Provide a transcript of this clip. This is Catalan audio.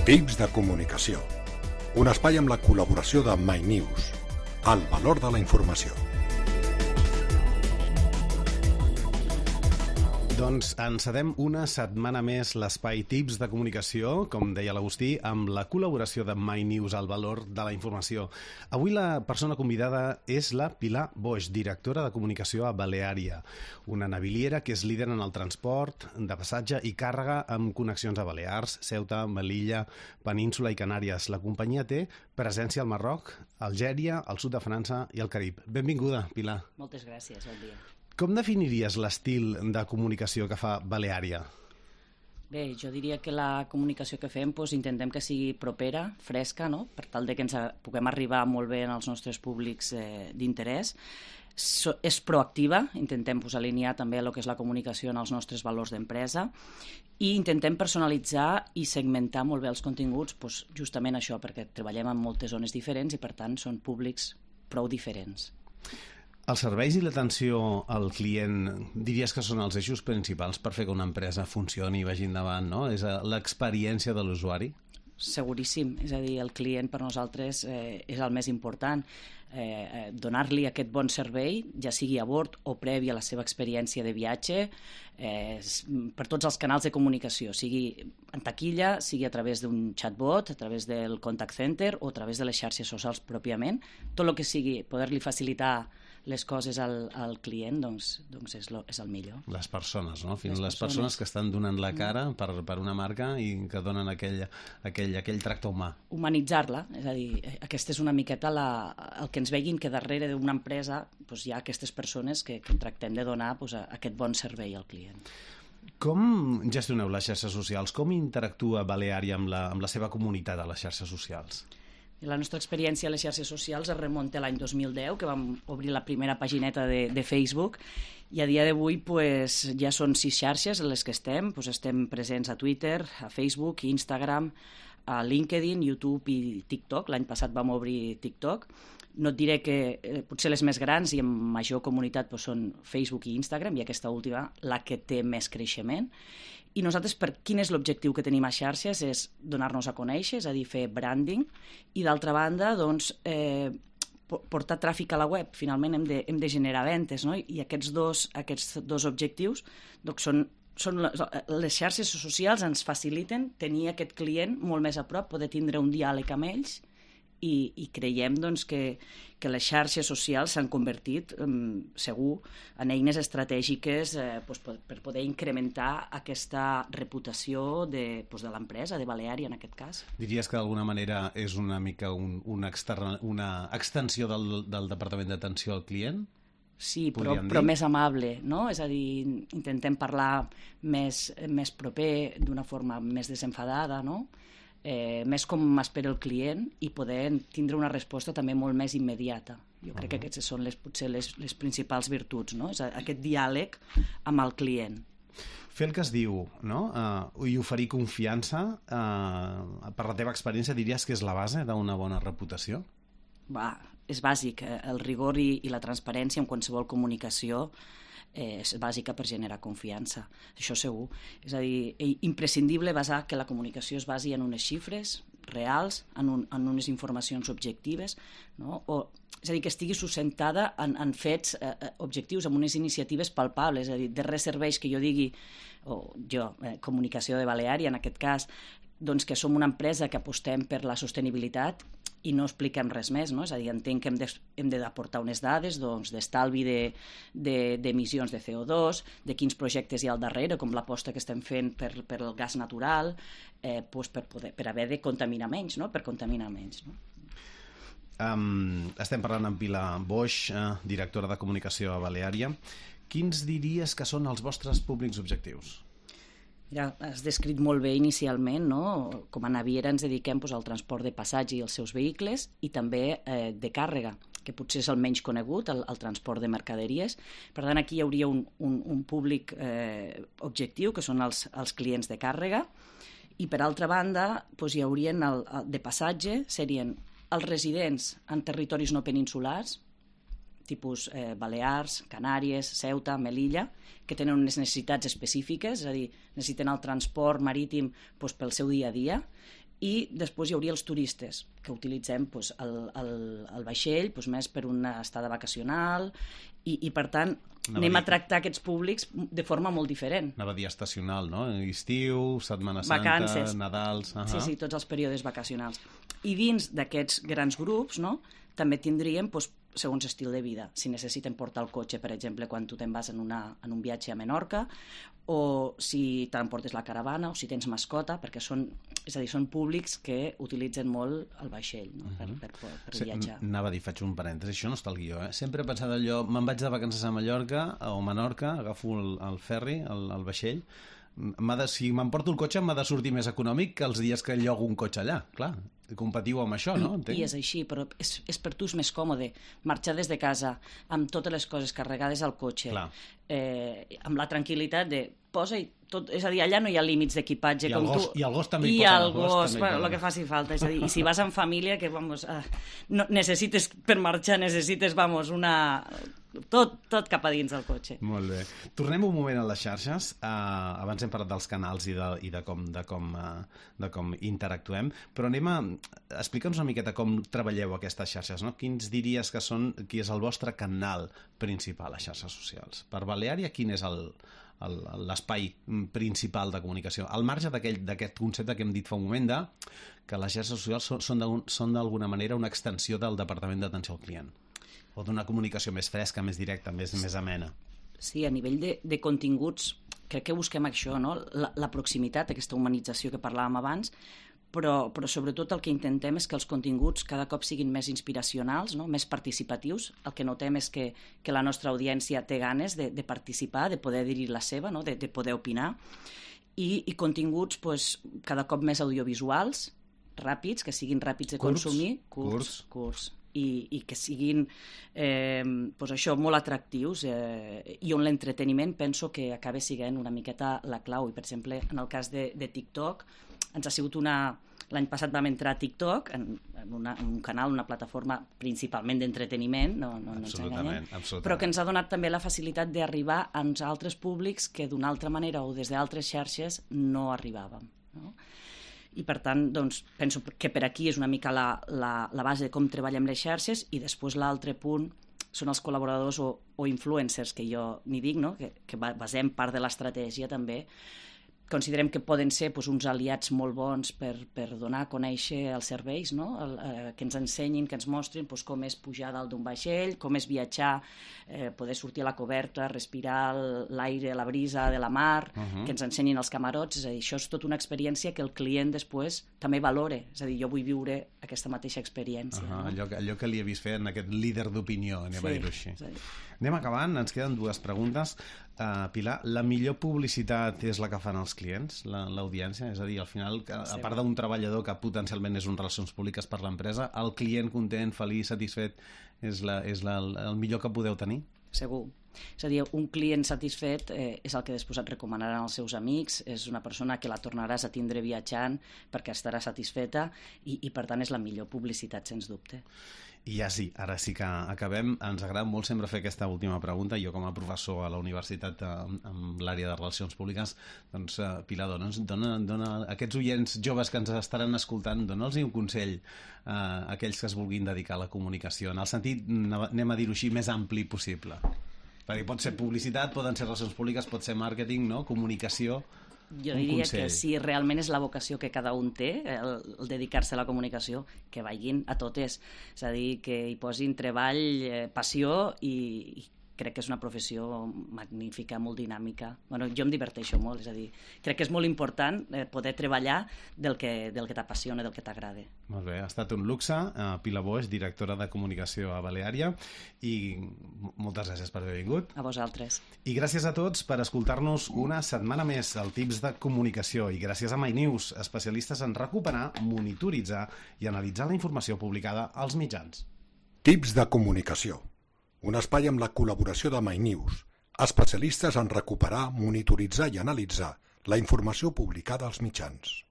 Tips de comunicació. Un espai amb la col·laboració de MyNews. El valor de la informació. Doncs encedem una setmana més l'espai Tips de comunicació, com deia l'Agustí, amb la col·laboració de MyNews, el valor de la informació. Avui la persona convidada és la Pilar Boix, directora de comunicació a Baleària, una naviliera que és líder en el transport de passatge i càrrega amb connexions a Balears, Ceuta, Melilla, Península i Canàries. La companyia té presència al Marroc, Algèria, al sud de França i al Carib. Benvinguda, Pilar. Moltes gràcies, bon dia. Com definiries l'estil de comunicació que fa Baleària? Bé, jo diria que la comunicació que fem intentem que sigui propera, fresca, no? Per tal de que ens puguem arribar molt bé als nostres públics d'interès. És proactiva, intentem alinear també el que és la comunicació en els nostres valors d'empresa i intentem personalitzar i segmentar molt bé els continguts, justament això, perquè treballem en moltes zones diferents i per tant són públics prou diferents. Els serveis i l'atenció al client diries que són els eixos principals per fer que una empresa funcioni i vagi endavant, no? És l'experiència de l'usuari? Seguríssim, és a dir, el client per nosaltres és el més important. Donar-li aquest bon servei, ja sigui a bord o previ a la seva experiència de viatge, per tots els canals de comunicació, sigui en taquilla, sigui a través d'un chatbot, a través del contact center o a través de les xarxes socials pròpiament. Tot el que sigui poder-li facilitar les coses al client, doncs és el millor. Les persones, no? Les persones que estan donant la cara per una marca i que donen aquell tracte humà. Humanitzar-la, és a dir, aquesta és una miqueta el que ens veguin que darrere d'una empresa hi ha aquestes persones que tractem de donar aquest bon servei al client. Com gestioneu les xarxes socials? Com interactua Baleària amb la seva comunitat a les xarxes socials? La nostra experiència a les xarxes socials es remunta a l'any 2010, que vam obrir la primera pagineta de Facebook, i a dia d'avui ja són 6 xarxes en les que estem. Estem presents a Twitter, a Facebook, Instagram, a LinkedIn, YouTube i TikTok. L'any passat vam obrir TikTok. No et diré que potser les més grans i amb major comunitat són Facebook i Instagram, i aquesta última la que té més creixement. I nosaltres, quin és l'objectiu que tenim a xarxes? És donar-nos a conèixer, és a dir, fer branding, i d'altra banda, portar tràfic a la web. Finalment hem de generar ventes, no? I aquests dos objectius són les xarxes socials ens faciliten tenir aquest client molt més a prop, poder tindre un diàleg amb ells, i creiem que les xarxes socials s'han convertit segur en eines estratègiques per poder incrementar aquesta reputació de l'empresa, de Baleària en aquest cas. Diries que d'alguna manera és una mica una extensió del Departament d'Atenció al Client? Sí, però més amable, no? És a dir, intentem parlar més proper, d'una forma més desenfadada, no? Més com espera el client, i poder tindre una resposta també molt més immediata. Jo crec que aquestes són potser les principals virtuts, no? És aquest diàleg amb el client. Fer el que es diu, no? I oferir confiança, per la teva experiència, diries que és la base d'una bona reputació? És bàsic. El rigor i la transparència en qualsevol comunicació és bàsica per generar confiança, això segur. És a dir, imprescindible que la comunicació es basi en unes xifres reals, en unes informacions objectives, no? És a dir, que estigui sustentada en fets objectius, en unes iniciatives palpables. És a dir, de res serveix que jo digui, Comunicació de Baleària en aquest cas, que som una empresa que apostem per la sostenibilitat i no expliquem res més, no? És a dir, entenc que hem d'aportar unes dades d'estalvi d'emissions de CO2, de quins projectes hi ha al darrere, com l'aposta que estem fent per el gas natural, per haver de contaminar menys, no? Per contaminar menys, no? Estem parlant amb Pilar Boix, directora de comunicació a Baleària. Quins diries que són els vostres públics objectius? Ja has descrit molt bé inicialment, no? Com a naviera ens dediquem al transport de passatge i els seus vehicles, i també de càrrega, que potser és el menys conegut, el transport de mercaderies. Per tant, aquí hi hauria un públic objectiu, que són els clients de càrrega, i per altra banda hi haurien de passatge, serien els residents en territoris no peninsulars, tipus Balears, Canàries, Ceuta, Melilla, que tenen unes necessitats específiques, és a dir, necessiten el transport marítim pel seu dia a dia, i després hi hauria els turistes, que utilitzem doncs, el vaixell doncs, més per una estada vacacional i per tant, anem a tractar aquests públics de forma molt diferent. Anava a dir estacional, no? Estiu, Setmana Santa, vacances. Nadals... Sí, tots els períodes vacacionals. I dins d'aquests grans grups, no?, també tindríem doncs, segons estil de vida. Si necessiten portar el cotxe, per exemple, quan tu te'n vas en un viatge a Menorca, o si t'emportes la caravana, o si tens mascota, perquè són públics que utilitzen molt el vaixell, no? per viatjar. Anava a dir, faig un parèntesi, això no està al guió, eh? Sempre he pensat allò, me'n vaig de vacances a Mallorca o Menorca, agafo el ferri, el vaixell, si m'emporto el cotxe m'ha de sortir més econòmic que els dies que llogo un cotxe allà, clar. Competiu amb això, no? Entenc? I és així, però és per tu és més còmode marxar des de casa amb totes les coses carregades al cotxe, amb la tranquil·litat de posa-hi tot, és a dir, allà no hi ha límits d'equipatge I com el gos, tu. I el gos també hi pot anar. I el gos, el que faci falta. És a dir, i si vas en família, que no, necessites, per marxar, necessites, tot cap a dins del cotxe. Molt bé. Tornem un moment a les xarxes. Abans hem parlat dels canals i de com interactuem, però explica'ns una miqueta com treballeu aquestes xarxes, no? Quins diries que són, qui és el vostre canal principal a xarxes socials? Per Baleària, quin és l'espai principal de comunicació? Al marge d'aquest concepte que hem dit fa un moment que les xarxes socials són d'alguna manera una extensió del Departament d'Atenció al Client o d'una comunicació més fresca, més directa, més amena. Sí, a nivell de continguts crec que busquem això, no? La proximitat, aquesta humanització que parlàvem abans, però sobretot el que intentem és que els continguts cada cop siguin més inspiracionals, no? Més participatius. El que notem és que la nostra audiència té ganes de participar, de poder dir la seva, no? de poder opinar, i continguts cada cop més audiovisuals, ràpids, que siguin ràpids de consumir, curts, i que siguin això, molt atractius, i on l'entreteniment penso que acaba sent una miqueta la clau. I, per exemple, en el cas de TikTok, ens ha sigut l'any passat vam entrar a TikTok, en un canal, una plataforma principalment d'entreteniment, no ens enganyem, però que ens ha donat també la facilitat d'arribar a uns altres públics que d'una altra manera o des d'altres xarxes no arribàvem, no? I per tant, doncs, penso que per aquí és una mica la base de com treballem les xarxes, i després l'altre punt són els col·laboradors o influencers, que jo n'hi dic, no? que basem part de l'estratègia també. Considerem que poden ser uns aliats molt bons per donar a conèixer els serveis, no? Que ens ensenyin, que ens mostrin com és pujar dalt d'un vaixell, com és viatjar, poder sortir a la coberta, respirar l'aire, la brisa de la mar, que ens ensenyin els camarots. És a dir, això és tota una experiència que el client després també valore. És a dir, jo vull viure aquesta mateixa experiència. No? Allò que li he vist fer en aquest líder d'opinió, anem a dir-ho així. Anem acabant, ens queden dues preguntes. Pilar, la millor publicitat és la que fan els clients, l'audiència? És a dir, al final, a part d'un treballador que potencialment és un relacions públiques per l'empresa, el client content, feliç, satisfet, és el millor que podeu tenir? Segur. És a dir, un client satisfet és el que després et recomanaran els seus amics, és una persona que la tornaràs a tindre viatjant perquè estarà satisfeta i per tant és la millor publicitat, sens dubte. I ja sí, ara sí que acabem. Ens agrada molt sempre fer aquesta última pregunta. Jo com a professor a la universitat amb l'àrea de relacions públiques, doncs Pilar, dona aquests oients joves que ens estaran escoltant, dona'ls un consell a aquells que es vulguin dedicar a la comunicació, en el sentit, anem a dir-ho així, més ampli possible. Perquè pot ser publicitat, poden ser relacions públiques, pot ser màrqueting, no? Comunicació. Jo diria que si realment és la vocació que cada un té, el dedicar-se a la comunicació, que vagin a totes. És a dir, que hi posin treball, passió, i crec que és una professió magnífica, molt dinàmica. Bueno, jo em diverteixo molt, és a dir, crec que és molt important poder treballar del que t'apassiona, del que t'agrada. Molt bé, ha estat un luxe. Pilar Boix, directora de comunicació a Baleària, i moltes gràcies per haver vingut. A vosaltres. I gràcies a tots per escoltar-nos una setmana més al Tips de Comunicació, i gràcies a MyNews, especialistes en recuperar, monitoritzar i analitzar la informació publicada als mitjans. Tips de Comunicació, un espai amb la col·laboració de MyNews, especialistes en recuperar, monitoritzar i analitzar la informació publicada als mitjans.